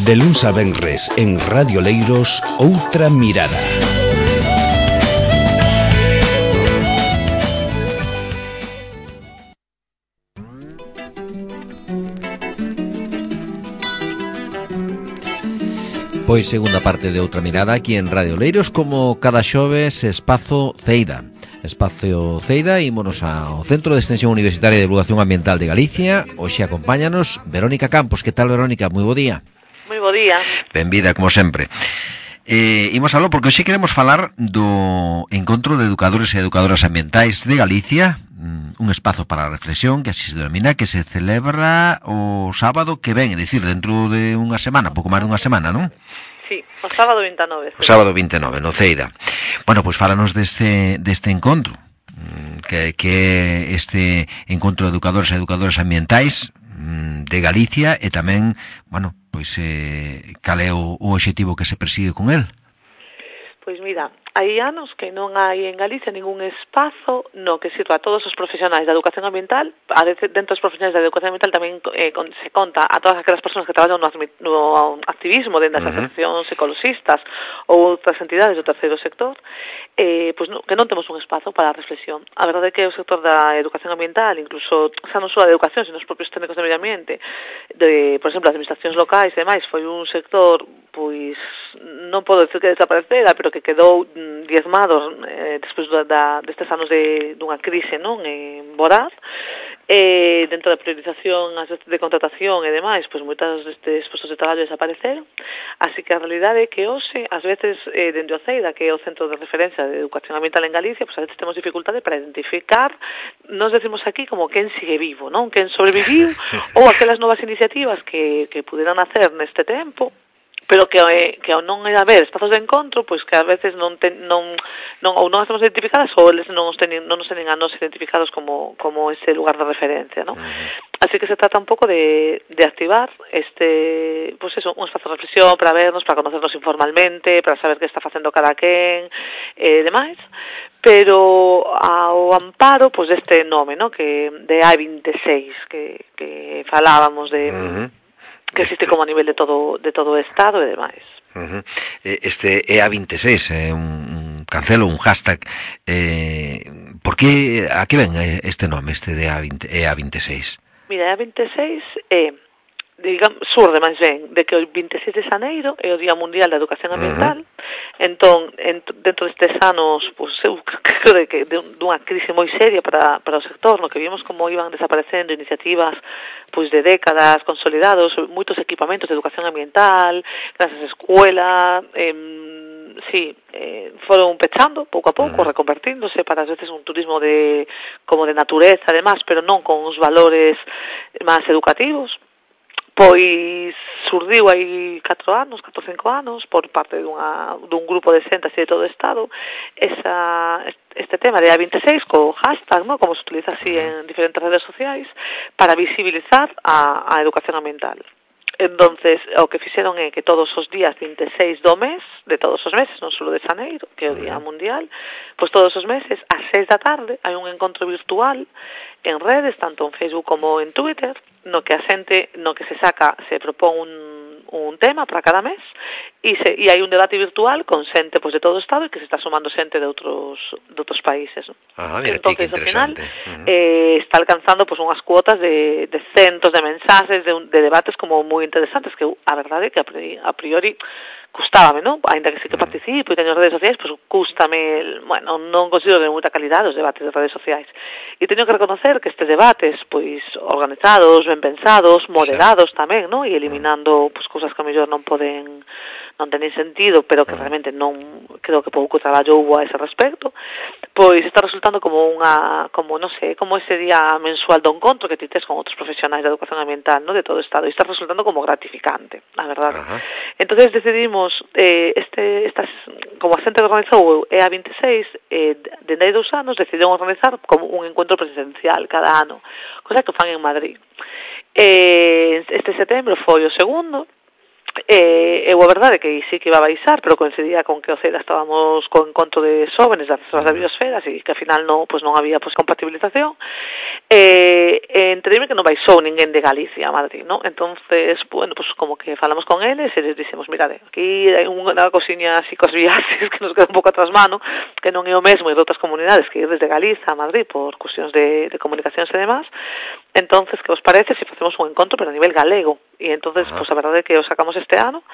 De luns a venres en Radio Leiros, Outra Mirada. Pois segunda parte de Outra Mirada aquí en Radio Leiros, como cada xoves, Espazo Ceida. Espacio Ceida, ímonos ao Centro de Extensión Universitaria de Divulgación Ambiental de Galicia. Hoxe acompáñanos Verónica Campos. Que tal, Verónica? Moi bo día. Moi bo día. Benvida, como sempre. Imos aló porque hoxe queremos falar do Encontro de Educadores e Educadoras Ambientais de Galicia, un espazo para a reflexión, que así se denomina, que se celebra o sábado que ven, é dicir, dentro de unha semana, pouco máis dunha semana, non? Sí, o sábado 29. O sábado 29, no Ceida. Bueno, pois fálanos deste encontro, que é este Encontro de Educadores e Educadoras Ambientais de Galicia, e tamén, bueno, pois cal é o obxectivo que se persigue con el? Pois mira, hai anos que non hai en Galicia ningún espazo no que sirva a todos os profesionais da educación ambiental. A veces dentro dos profesionais da educación ambiental tamén se conta a todas aquelas persoas que traballan no activismo dentro das asociacións ecologistas ou outras entidades do terceiro sector, pois que non temos un espazo para a reflexión. A verdade é que o sector da educación ambiental, incluso xa non só da educación, sino os propios técnicos de medio ambiente, por exemplo, as administracións locais e demais, foi un sector, pois, non podo decir que desaparecera, pero que quedou diezmados despois destes anos dunha crise, non, voraz, dentro da priorización de contratación e demais, pois moitas destes postos de traballo desapareceron. Así que a realidade é que hoxe, ás veces, dende o CEIDA, que é o Centro de Referencia de Educación Ambiental en Galicia, pois a veces temos dificultade para identificar, nos decimos aquí como quen sigue vivo, non, quen sobreviviu, ou aquelas novas iniciativas que puderan hacer neste tempo, pero que ao non haber espazos de encontro, pois que ás veces non as temos identificadas ou eles non nos teñen a nos identificados como ese lugar de referencia, non? Así que se trata un pouco de activar pois eso, un espazo de reflexión para vernos, para conocernos informalmente, para saber que está facendo cada quen, demais, pero ao amparo pois deste nome, non, que de A26 que falábamos de que existe como a nivel de todo o Estado e demais. Este EA26 é un cancelo, un hashtag. Por que, a que ven este nome, este de EA26? Mira, EA26 surde máis ben de que o 26 de xaneiro é o Día Mundial da Educación Ambiental. Entón, dentro destes anos, pois, eu creo que dunha crise moi seria para o sector, no que vimos como iban desaparecendo iniciativas pois de décadas consolidados, moitos equipamentos de educación ambiental, grandes escuelas, foron pechando pouco a pouco, reconvertíndose para ás veces un turismo como de natureza, además, pero non con os valores máis educativos. Pois surdiu hai 4 ou 5 anos por parte dun grupo de xente así de todo o Estado este tema de A26 co hashtag, ¿no?, como se utiliza así en diferentes redes sociais, para visibilizar a educación ambiental. Entonces, o que fixeron é que todos os días 26 do mes, de todos os meses, non só de xaneiro, que é o Día Mundial, pois todos os meses, ás 6 da tarde, hai un encontro virtual en redes, tanto en Facebook como en Twitter, no que se propón un tema para cada mes e hai un debate virtual con xente pois de todo o Estado e que se está sumando xente de outros países, ¿no? Mira, entonces, ao final, está alcanzando pois unhas cuotas de centos de mensaxes, de debates como moi interesantes, que a verdade é que a priori custábame, non? Ainda que sí que participo e teño redes sociais, pois cústame, bueno, non considero de moita calidade os debates de redes sociais. E teño que reconocer que estes debates, pois, organizados, ben pensados, moderados tamén, non? E eliminando, pois, cousas que a mellor non teñen sentido, pero que realmente non, creo que pouco traballo hubo a ese respecto, pois está resultando como como ese día mensual do encontro que ti tes con outros profesionais da educación ambiental, non, de todo o Estado, e está resultando como gratificante, a verdade. Entonces decidimos como a xente que organizou EA26 dende hai 2 anos decidiron organizar como un encontro presencial cada ano, cosa que fan en Madrid. Este setembro foi o segundo. Eu a verdade que sí que iba a baixar, pero coincidía con que o CEDA estábamos co encontro de xóvenes das reservas da biosfera, e que ao final non había compatibilización. Entenderme que non vai só ninguén de Galicia a Madrid, ¿no? Entonces, bueno, pues como que falamos con eles e les dixemos, mirade, aquí hai unha cosiña así cos viaxes que nos queda un pouco atrás mano, que non é o mesmo de outras comunidades que ir desde Galiza a Madrid por cuestións de comunicacións e demás. Entonces, que vos parece se facemos un encontro pero a nivel galego? E entonces, pues a verdade é que o sacamos este ano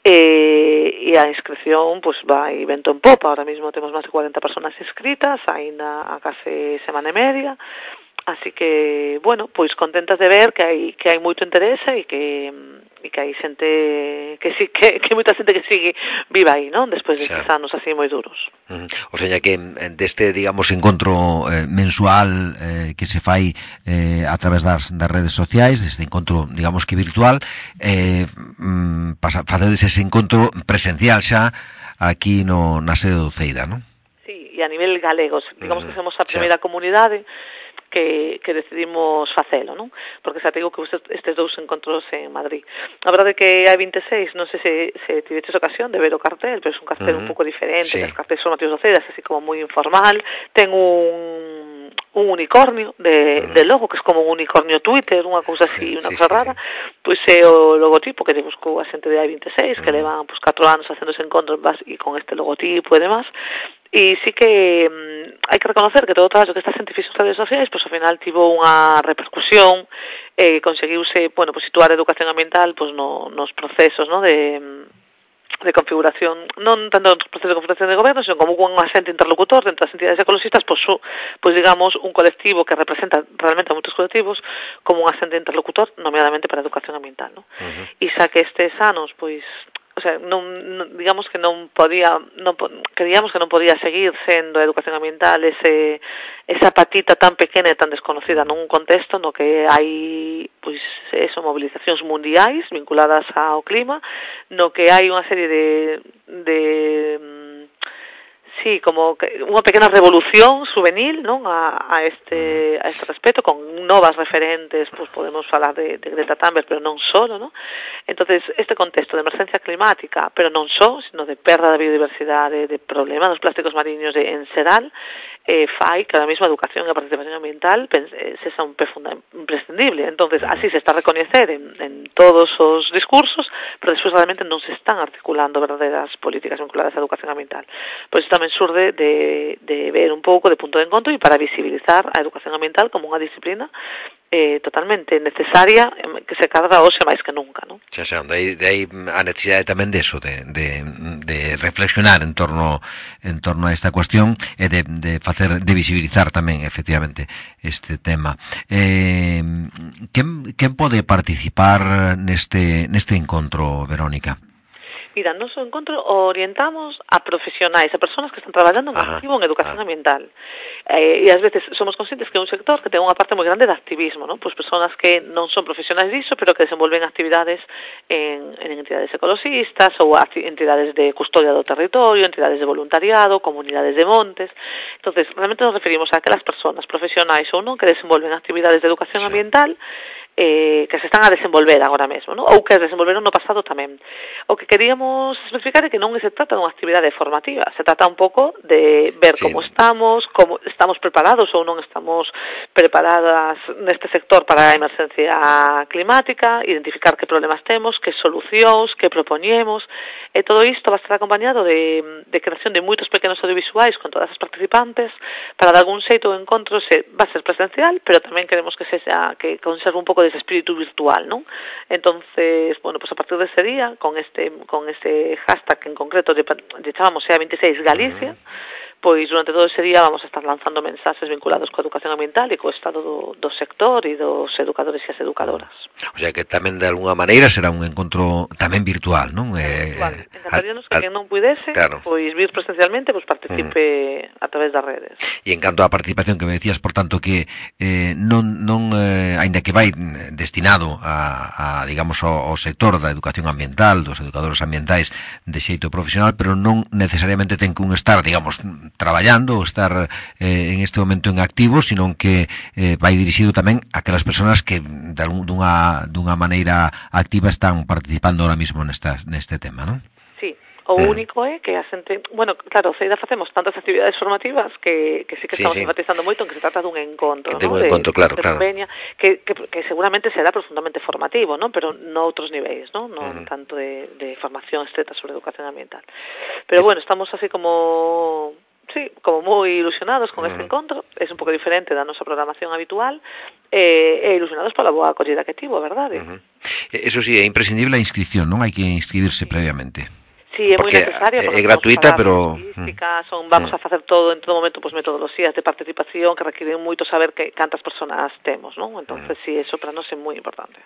e a inscripción pues vai vento en popa. Ahora mismo temos máis de 40 personas inscritas, aínda a case semana e media. Así que, bueno, pois contentas de ver que hai moito interese e que hai xente que sí que moita xente que sigue viva aí, non? Despois destes anos así moi duros. O sea que deste, digamos, encontro mensual que se fai a través das redes sociais, deste encontro, digamos que virtual, facedes ese encontro presencial xa aquí na sede do Ceida, non? Sí, e a nivel galego, digamos que somos a primeira comunidade que decidimos facelo, non? Porque xa te digo que estes dous encontros en Madrid. A verdade é que hai 26, non sei se tiveches ocasión de ver o cartel, pero é un cartel un pouco diferente, os cartéis formativos do CEDAS, así como moi informal. Ten un unicornio de logo, que é como un unicornio Twitter, unha cousa así, unha cousa rara. Pois é o logotipo que lle buscou a xente de A26, que levan 4 anos facendo ese encontro e con este logotipo e demás. E sí que hai que reconocer que todo o traballo que esta xente fixo nas redes sociais, pois ao final tivo unha repercusión, conseguiuse, bueno, pois situar a educación ambiental pois nos procesos, no, de configuración, non tanto nos procesos de configuración de goberno, sino como un asente interlocutor entre as entidades ecologistas, pois digamos, un colectivo que representa realmente a moitos colectivos como un asente interlocutor, nomeadamente para a educación ambiental, no? E xa que estes anos, pois, o sea, digamos que creíamos que non podía seguir sendo a educación ambiental esa patita tan pequena e tan desconocida nun contexto no que hai pois movilizacións mundiais vinculadas ao clima, no que hai unha serie sí, como unha pequena revolución juvenil, non, a este respecto, con novas referentes, pues podemos falar de Greta Thunberg, pero non só, non? Entonces, este contexto de emergencia climática, pero non só, sino de perda da biodiversidade, de problema dos plásticos mariños en xeral, fai que a mesma educación e a participación ambiental sexa un imprescindible. Entonces, así se está a recoñecer en todos os discursos, pero despois realmente non se están articulando verdadeiras políticas vinculadas á educación ambiental. Pois isto tamén surde de ver un pouco de punto de encontro e para visibilizar a educación ambiental como unha disciplina totalmente necesaria que se cadra hoxe máis que nunca, non? Xa, de aí a necesidade tamén deso, de reflexionar en torno a esta cuestión e de visibilizar tamén efectivamente este tema. Quen pode participar neste encontro, Verónica? Mira, no noso encontro orientamos a profesionais, a persoas que están traballando en activo en educación ambiental. E ás veces somos conscientes que é un sector que ten unha parte moi grande de activismo, non? Pois persoas que non son profesionais diso, pero que desenvolven actividades en entidades ecologistas ou entidades de custodia do territorio, entidades de voluntariado, comunidades de montes. Entonces, realmente nos referimos a aquelas persoas profesionais ou non que desenvolven actividades de educación ambiental que se están a desenvolver agora mesmo, ¿no? Ou que desenvolveron no pasado tamén. O que queríamos especificar é que non se trata dunha actividade formativa, se trata un pouco de ver como estamos preparados ou non estamos preparadas neste sector para a emergencia climática, identificar que problemas temos, que solucións, que propoñemos, e todo isto va a estar acompañado de creación de moitos pequenos audiovisuais con todas as participantes, para de algún xeito o encontro va a ser presencial, pero tamén queremos que conserve un pouco de ese espírito virtual, non? Entonces, bueno, pues a partir de ese día, con este hashtag en concreto, lle chamamos EA26 Galicia, pois durante todo ese día vamos a estar lanzando mensaxes vinculados coa educación ambiental e co estado do sector e dos educadores e as educadoras. O sea que tamén de alguna maneira será un encontro tamén virtual, non? Virtual. Encantaríanos que quen non puidese, pois vir presencialmente, pois participe a través das redes. E en canto á participación que me decías, por tanto, que non aínda que vai destinado a digamos, ao sector da educación ambiental, dos educadores ambientais de xeito profesional, pero non necesariamente ten que estar, digamos, traballando ou estar en este momento en activo, sino que vai dirixido tamén a aquelas persoas que dunha maneira activa están participando ahora mismo neste tema, non? Sí, O único é que a xente, bueno, claro, Ceida facemos tantas actividades formativas que sí que estamos enfatizando moito en que se trata dun encontro, ¿no? Un encontro, claro. Convenia, que seguramente será profundamente formativo, ¿no? Pero no outros niveis, ¿no? Non tanto de formación estreta sobre educación ambiental. Pero bueno, estamos así como moi ilusionados con este encontro. É un pouco diferente da nosa programación habitual e ilusionados pola boa acollida que tivo, verdade? Eso sí, é imprescindible a inscripción, non? Hai que inscribirse previamente. Sí, é moi necesaria, é gratuita, pero vamos a facer todo en todo momento, metodoloxías de participación que requiren moito saber cantas persoas temos, non? Entonces, sí, eso para nós é moi importante.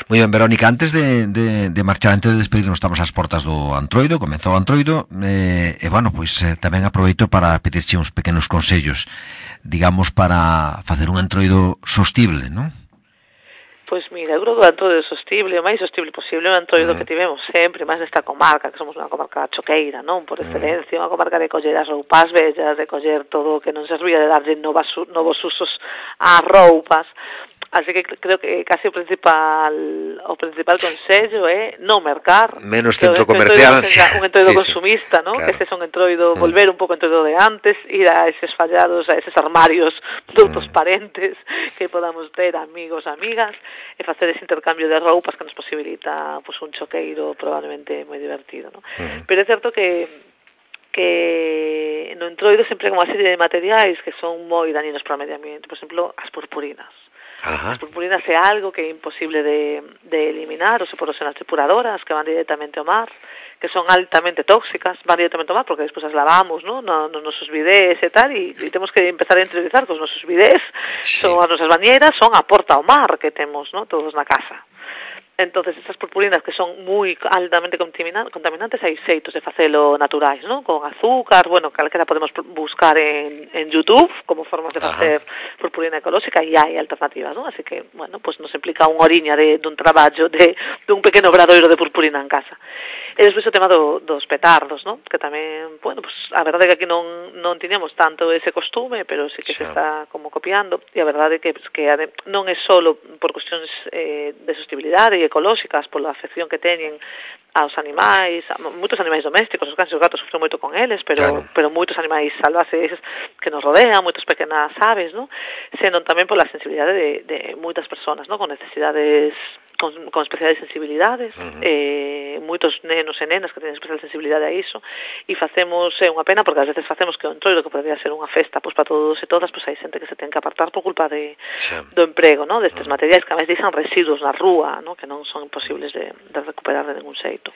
Moi ben, Verónica, antes de marchar, antes de despedirnos, estamos ás portas do Antroido, comezou o Antroido, bueno, pois tamén aproveito para pedirche uns pequenos consellos, digamos, para facer un Antroido sostible, non? Pois mira, eu creo que o Antroido sostible, o máis sostible posible, o Antroido que tivemos sempre, máis nesta comarca, que somos unha comarca choqueira, non? Por excelencia, unha comarca de coller as roupas bellas, de coller todo o que non servía, de darlle novos usos ás roupas. Así que creo que casi o principal consello é non mercar. Menos centro comercial. Un entroido consumista, ¿no? Claro. Que ese é un entroido, volver un pouco entroido de antes, ir a eses fallados, a eses armarios de outros parentes que podamos ter, amigos, amigas, e facer ese intercambio de roupas que nos posibilita pues, un choqueiro probablemente moi divertido, ¿no? Pero é certo que no entroido sempre hai unha serie de materiais que son moi dañinos para o medio ambiente. Por exemplo, as purpurinas. As purpurinas é algo que é imposible de eliminar, ou se por ser as depuradoras que van directamente ao mar, que son altamente tóxicas, van directamente ao mar porque despois as lavamos, ¿no? Nos nosos bidés e tal, e temos que empezar a interiorizar que os nosos bidés, son as nosas bañeiras, son a porta ao mar que temos, ¿no? Todos na casa. Entonces, estas purpurinas que son moi altamente contaminantes, hai xeitos de facelo naturais, ¿no? Con azúcar, bueno, calquera podemos buscar en YouTube como formas de facer purpurina ecolóxica e hai alternativas, ¿no? Así que, bueno, pues nos implica unha oriña dun traballo dun pequeno obradoiro de purpurina en casa. E despois o tema dos petardos, ¿no? Que tamén, bueno, pues a verdade é que aquí non tiñamos tanto ese costume, pero sí que se está como copiando, e a verdade é que non é solo por cuestións de sostenibilidade e ecolóxicas, pola afección que teñen aos animais, moitos animais domésticos, os cans e os gatos sofren moito con eles, pero moitos animais salvajes que nos rodean, moitas pequenas aves, ¿no? Senón tamén pola sensibilidade de moitas persoas, ¿no? Con necesidades, con especiais sensibilidades, moitos nenos e nenas que teñen especial sensibilidade a iso, e facemos, é unha pena, porque ás veces facemos que o entroido, que podría ser unha festa pois para todos e todas, pois hai xente que se ten que apartar por culpa do emprego, ¿no? Destes materiais que a máis deixan residuos na rúa, ¿no? Que non son imposibles de recuperar de ningún xeito.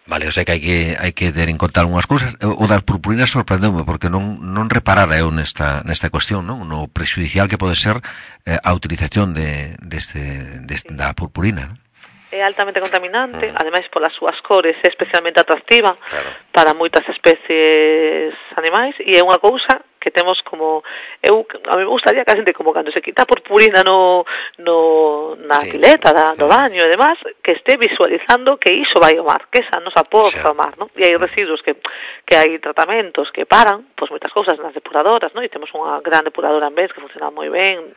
Vale, o sea que hai que ter en conta algunhas cousas. O das purpurinas sorprendeume porque non reparara eu nesta cuestión, non? No prexudicial que pode ser a utilización da purpurina, non? É altamente contaminante, ademais polas súas cores é especialmente atractiva para moitas especies animais, e é unha cousa que temos como a mí me gustaría que a xente como cando se quita a purpurina na pileta do baño e demás, que este visualizando que iso vai ao mar, que esa nos aporta ao mar, ¿no? E hai residuos que hai tratamentos que paran, pois moitas cousas nas depuradoras, ¿no? E temos unha gran depuradora en vez que funciona moi ben,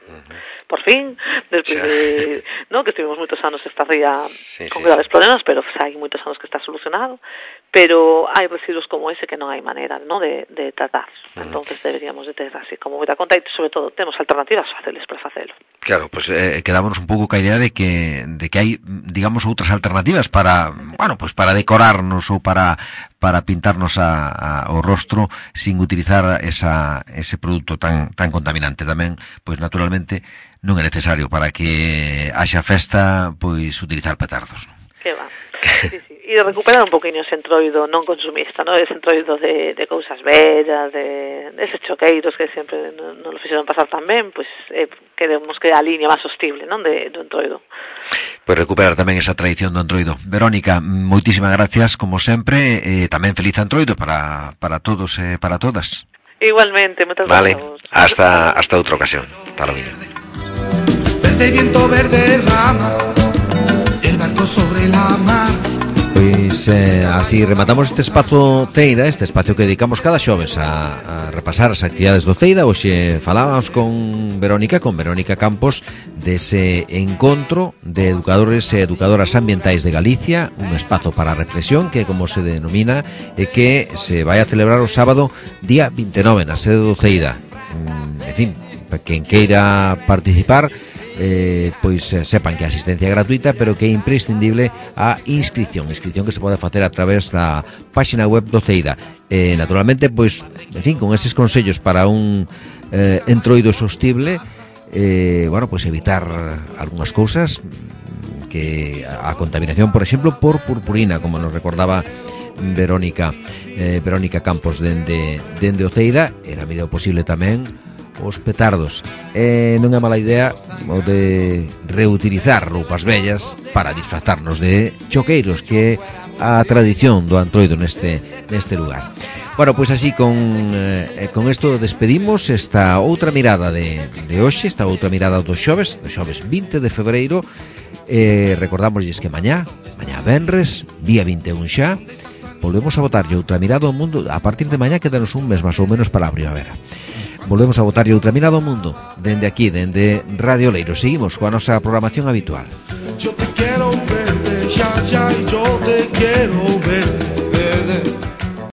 por fin, despois de, ¿no? Que estivemos moitos anos esta ría con graves problemas, pero hai moitos anos que está solucionado, pero hai residuos como ese que non hai maneira, ¿no? de tratar. Entonces deberíamos de ter así como moita conta, e sobre todo temos alternativas fáciles para facelo. Claro, pues quedámonos un pouco ca idea de que hai, digamos, outras alternativas para, bueno, pues para decorarnos ou para pintarnos o rostro sin utilizar ese produto tan contaminante. Tamén, pois naturalmente non é necesario para que haxa festa, pois utilizar petardos, non? Que va. Sí. E recuperar un poquinho ese entroido non consumista, ¿no? Ese entroido de cousas bellas, de eses choqueiros que sempre non lo fixeron pasar tan ben, pois queremos que a línea máis sostible, non? Do entroido. Pois recuperar tamén esa tradición do entroido. Verónica, moitísimas gracias, como sempre, e tamén feliz entroido para todos e para todas. Igualmente, moitas gracias. Vale, hasta outra ocasión. Hasta logo. Verde viento, verde rama, el barco sobre la mar. Pois así rematamos este espazo Teida, este espacio que dedicamos cada xoves a repasar as actividades do Teida. Hoxe falábamos con Verónica Campos dese encontro de educadores e educadoras ambientais de Galicia, un espazo para a reflexión que, como se denomina, e que se vai a celebrar o sábado día 29 na sede do Teida. En fin, quen queira participar, pois sepan que a asistencia é gratuita, pero que é imprescindible a inscripción que se pode facer a través da página web do Teida. Naturalmente, pois, en fin, con eses consellos para un entroido sostible, bueno, pois evitar algunhas cousas, que a contaminación, por exemplo, por purpurina, como nos recordaba Verónica Campos dende o Teida. Era a medida posible tamén os petardos. Non é mala idea o de reutilizar roupas vellas para disfrazarnos de choqueiros, que é a tradición do Antroido neste lugar. Bueno, pois así con isto despedimos esta outra mirada de hoxe, esta outra mirada do xoves 20 de febreiro. Recordamosles que mañá venres, día 21 xa, volvemos a botarlle outra mirada ao mundo. A partir de mañá quedanos un mes máis ou menos para a primavera. Volvemos a botarlle outra mirada ao mundo dende aquí, dende Radio Leiros. Seguimos coa nosa programación habitual. Yo te quiero ver, ya, y yo te quiero ver.